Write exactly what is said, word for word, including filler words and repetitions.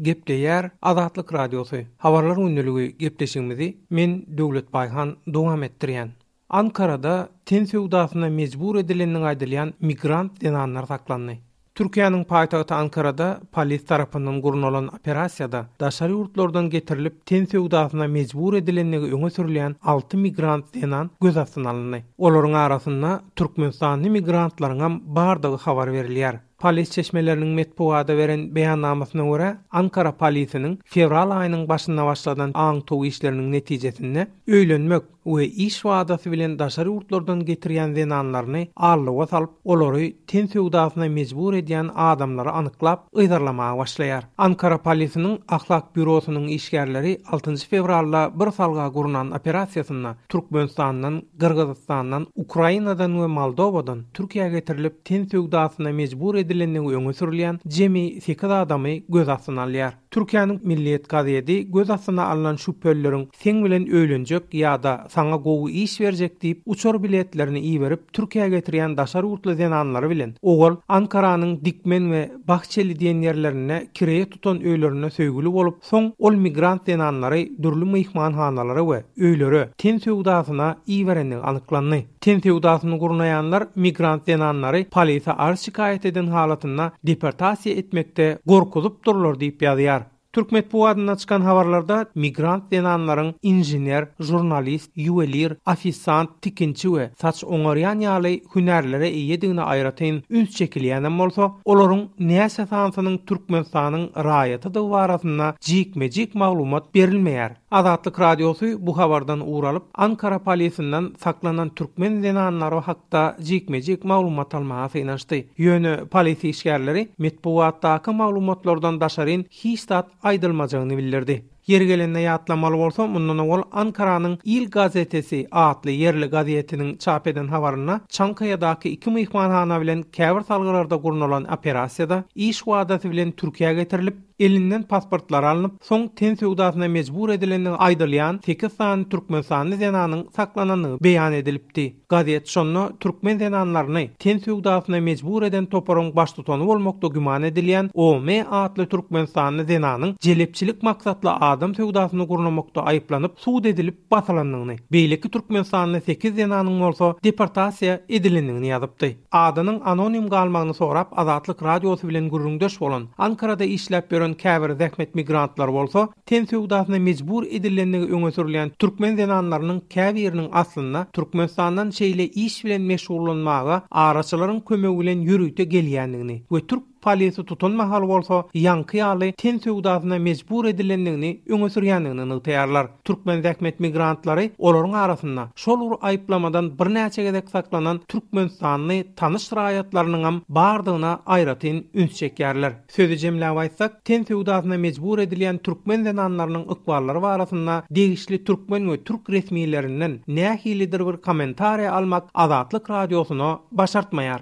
Gepleýär Azatlyk Radiosy. Habarlar gündeligi gepleşigimizi men Döwlet Baýhan dowam etdirýän. Ankarada ten söwdasyna mejbur edilenligi aýdylýan migrant zenanlar saklandy. Türkiýäniň paýtagty Ankarada polis tarapyndan gurnalan operasiýada daşary ýurtlardan getirilip ten söwdasyna mejbur edilenligi öňe sürülýän alty migrant zenan göz astyna alyndy. Olaryň arasynda Türkmenistanly migrantlaryň hem bardygy habar berilýär. Polis çeşmeleriniň metbugada beren beýannamasyna görä, Ankara polisiniň fewral aýynyň başynda başladan aňtow işleriniň netijesinde öýlenmek we iş wadasy bilen daşary ýurtlardan getirýän zenanlaryny allyga salyp, olary ten söwdasyna mejbur edýän adamlary anyklap, yzarlamaga başlaýar. Ankara polisiniň ahlak bürosynyň işgärleri altynjy fewralda bir salga gurnan operasiýasynda Türkmenistandan, Gyrgyzystandan, Ukrainadan we Moldowadan Türkiýä getirilip ten söwdasyna mejbur edilenligi öňe sürülýän jemi sekiz adamy göz astyna alýar. Türkiýäniň Milliýet gazeti göz astyna alynan şübhelileriň seň bilen öýlenjek ýa-da saňa gowy iş berjek diýip uçar biletlerini iberip Türkiýä getirýän daşary ýurtly zenanlary bilen owal Ankaranyň Dikmen we Bahçeli diýen ýerlerinde kireýe tutan öýlerinde söýgüli bolup, soň ol migrant zenanlary dürli myhmanhanalara we öýlere ten söwdasyna iberenligi anyklandy. Ten söwdasyny gurnaýanlar migrant zenanlary polise arz şikaýat eden halatynda deportasiýa etmekde gorkuzyp durlar diýip ýazýar. Türk metbugatynda çykan habarlarda migrant zenanlaryň inžener, jurnalist, ýuwelir, ofisant, tikinçi we saç oňarýan ýaly hünärlere eýedigine aýratyn üns çekilýänem bolsa, olaryň näçe sanysynyň Türkmenistanyň raýatydygy barasynda jikme-jik maglumat berilmeýär. Azatlyk Radiosy bu habardan ugralyp, Ankara polisinden saklanan türkmen zenanlary hakda jikme-jik maglumat almaga synanyşdy. Ýöne polis işgärleri metbugatdaky maglumatlardan daşaryn hiç zat aýdylmajagyny bildirdi. Ýeri gelende ýatlamaly bolsa, mundan owal Ankaranyň Il gazetesi atly ýerli gazetiniň çap eden habarynda Çankaya'daky iki myhmanhana bilen käbir salgylarda gurnalan operasiýada iş wadasy bilen Türkiýä getirilip, elinden pasportlar alnyp, soň ten söwdasyna mejbur edilenligi aýdylýan sekiz sany Türkmenistanly zenanyň saklanandygy beýan edilipdi. Gazet şonda türkmen zenanlaryny ten söwdasyna mejbur eden toparyň baştutany bolmakda güman edilýän O M atly Türkmenistanly zenanyň jelepçilik maksatly adam söwdasyny gurnamakda aýyplanyp, sud edilip basylandygyny, beýleki Türkmenistanly sekiz zenanyň bolsa deportasiýa edilendigini ýazypdy. Adynyň anonim galmagyny sorap Azatlyk Radiosy bilen gürrüňdeş bolan Ankarada işläp ýören käbir zähmet migrantlary bolsa ten söwdasyna mejbur edilendigi öňe sürülýän türkmen zenanlarynyň käbiriniň aslynda Türkmenistandan şeýle iş bilen meşgullanmaga araçylaryň kömegi bilen ýörite gelýändigini we türk polisi tutan mahal bolsa ýaňky ýaly ten söwdasyna mejbur edilendigini öňe sürýändigini nygtaýarlar. Türkmen zähmet migrantlary olaryň arasynda şol bir aýyplamadan birnäçe gezek saklanan Türkmenistanly tanyş raýatlarynyň hem bardygyna aýratyn üns çekýärler. Sözi jemläp aýtsak, ten söwdasyna mejbur edilýän türkmen zenanlarynyň ykballary barasynda degişli türkmen we türk resmilerinden nähilidir bir kommentariýa almak Azatlyk Radiosyna başartmaýar.